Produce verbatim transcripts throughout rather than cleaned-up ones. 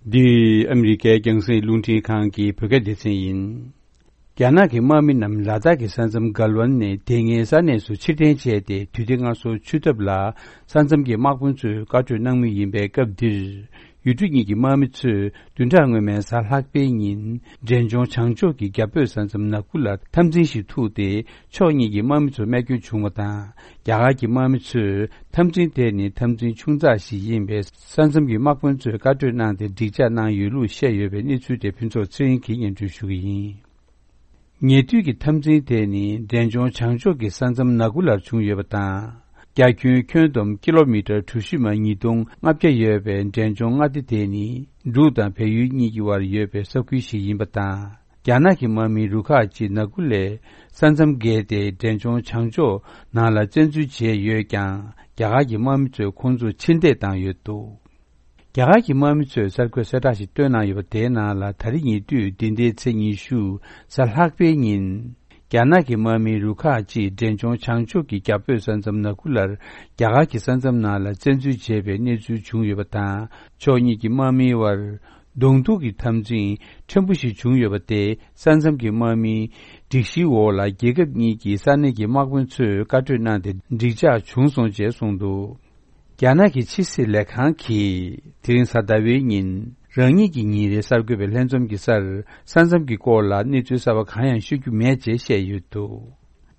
디 아메리카 경세 룬티 칸기 프로게디스인 갸나기 마미 남 라다기 산섬 갈원네 댕에산에서 치텐체데 뒤딩아서 추접라 산섬기 막분수 가주 낭미 임베 갑디 유중이기 마미츠 둔장외면 살학배인 전종 창조기 갑별 산섬 나쿨라 탐진시 투데 초이기 마미츠 매규 중어다 야가기 마미츠 탐진대니 탐진 충자시 임베 산섬기 막분수 가주 나데 디자나 유루 셰여베 니추데 핀조 츠인기 연주슈기 녜투기 탐진대니 전종 창조기 산섬 나쿨라 중여버다 갸큐 큐돔 킬로미터 투시만 이동 앞게 예베 전종 아디데니 루다 배유니기와 예베 석귀시 임바다 갸나기 마미 루카지 나굴레 산섬게데 전종 창조 나라 전주지에 예강 갸가기 마미츠 콘주 친대 당여도 갸가기 마미츠 살코 세다시 뜨나 여베나라 다리니 뚜 딘데 쳔이슈 살학베인 갸나기 마미 루카지 전종 창조기 갑별 산섬 나굴라 갸가기 산섬 나라 전주 제베 내주 중요바다 조니기 마미와 동두기 탐진 전부시 중요바데 산섬기 마미 디시오라 계급니기 산내기 막분츠 가트나데 디자 중송제 송도 갸나기 치시 레칸키 드린사다웨인 랑이기 니레 살급의 렌좀기 살 산섬기 꼴라 니주사와 가양 슈규 매제시에 유도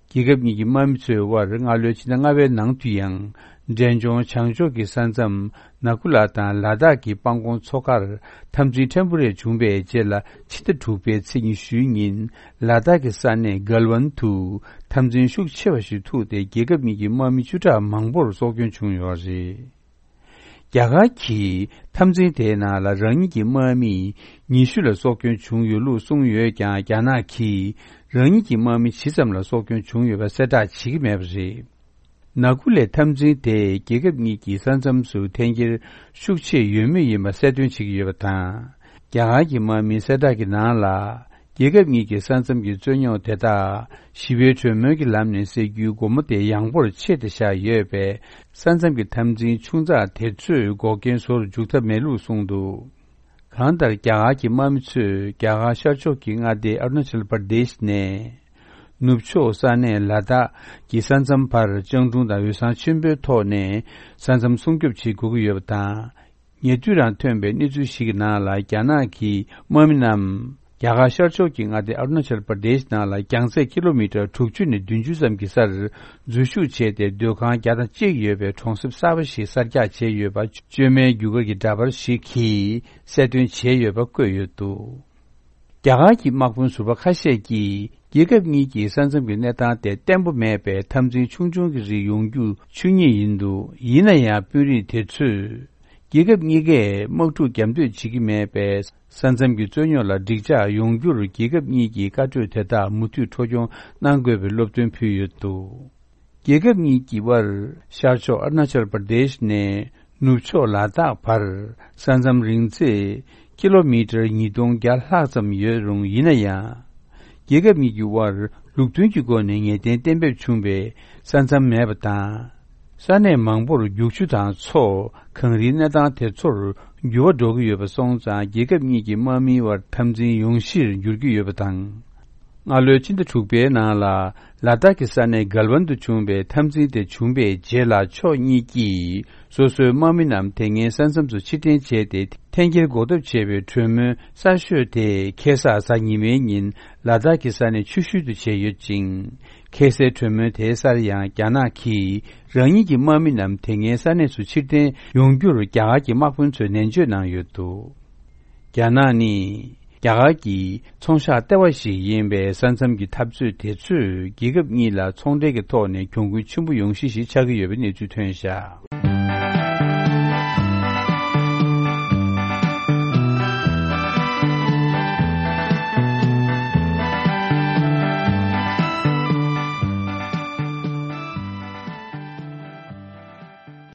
기급니기 맘츠와 랑알려 지나가베 낭뒤양 전종 창조기 산섬 나쿨라타 라다기 방공 초가를 탐지 템플의 준비에 제라 치드 두배 칭이 슈인 라다기 산내 갈원투 탐진 슈체와시 투데 기급니기 맘이 주자 망보를 속견 중요하지 야가키 탐진대나라 랑이기 마미 니슈르 소견 중요루 송유에가 야나키 랑이기 마미 시점라 소견 중요가 세다 지기매버지 나굴레 탐진대 계급니기 산점수 탱길 숙체 유미이마 세든 지기여다 야가기 마미 세다기 나라 계급니기 산점기 전용 대다 십여 주먹이 남는세 유고모대 양보를 채드샤 예배 산섬기 탐진 충자 대출 고견소를 죽다 매루 송도 간달 갸가기 맘츠 갸가 샤초킹아데 어르나철 프라데시네 눕초 산에 라다 기산섬 파르 정중다 유산 침베토네 산섬 송급치 구구여다 예주란 템베 니주시기 나라 갸나기 마미남 야가 셔초킹 아데 어르나철 프라데시 나라 갱세 킬로미터 툭추니 둔주섬 기사르 주슈체데 료칸 갸다 제예베 총십사버시 살자 제예바 쮸메 유거기 다버 시키 세든 제예바 꿰유도 야가기 막분 수바 카셰기 예급니기 산섬비 내다데 템부메베 탐진 충중기지 용규 충이인도 이나야 뷰리 대출 예급니게 먹투 겸드 지기메베 산섬기 전요라 디자 용규를 계급니기 가주되다 무투 토종 난괴베 롭된 표유도 계급니기와 샤초 어르나철 프라데시네 누초 라다 파르 산섬 링제 킬로미터 이동 갈하섬 여롱 이나야 계급니기와 룩tun기고네 덴덴베 충베 산섬 매바다 산내 망보를 육주당 초坑리나당 대초를 요도기 여버송자 예급니기 마미와 탐진 용실 율기 여버당 알려진데 축베 나라 라다기 산내 갈원도 준베 탐진데 준베 제라 초니기 소소 마미남 땡에 산섬수 치텐 제데 탱길 고급 제베 트르메 사슈데 케사사니메인 라다기 산내 추슈도 제여진 케세 트르메 대사리야 갸나키 랑이기 마미남 땡에 산내 수치데 용규를 갸가기 막분처 nen주나요도 갸나니 야가기 총샤 때와시 인베 산섬기 탑주 대출 기급니라 총대게 토네 경구 충부 용시시 차기 여변이 주퇴샤